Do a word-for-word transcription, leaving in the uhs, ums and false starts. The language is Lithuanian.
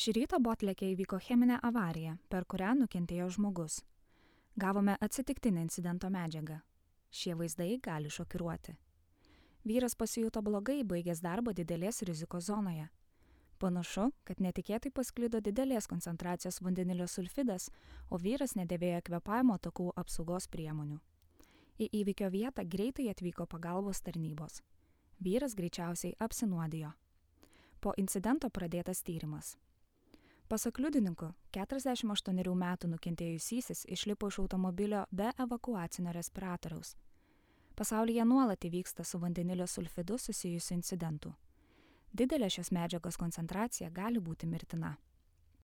Šį rytą Botleke įvyko cheminė avarija, per kurią nukentėjo žmogus. Gavome atsitiktinę incidento medžiagą. Šie vaizdai gali šokiruoti. Vyras pasijuto blogai, baigęs darbą didelės rizikos zonoje. Panašu, kad netikėtai pasklido didelės koncentracijos vandenilio sulfidas, o vyras nedėvėjo kvėpavimo takų apsaugos priemonių. Į įvykio vietą greitai atvyko pagalbos tarnybos. Vyras greičiausiai apsinuodijo. Po incidento pradėtas tyrimas. Pasak liudininkų, keturiasdešimt aštuonerių metų nukentėjusysis išlipo iš automobilio be evakuacinio respiratoriaus. Pasaulyje nuolat įvyksta su vandenilio sulfidu susijusių incidentų. Didelė šios medžiagos koncentracija gali būti mirtina.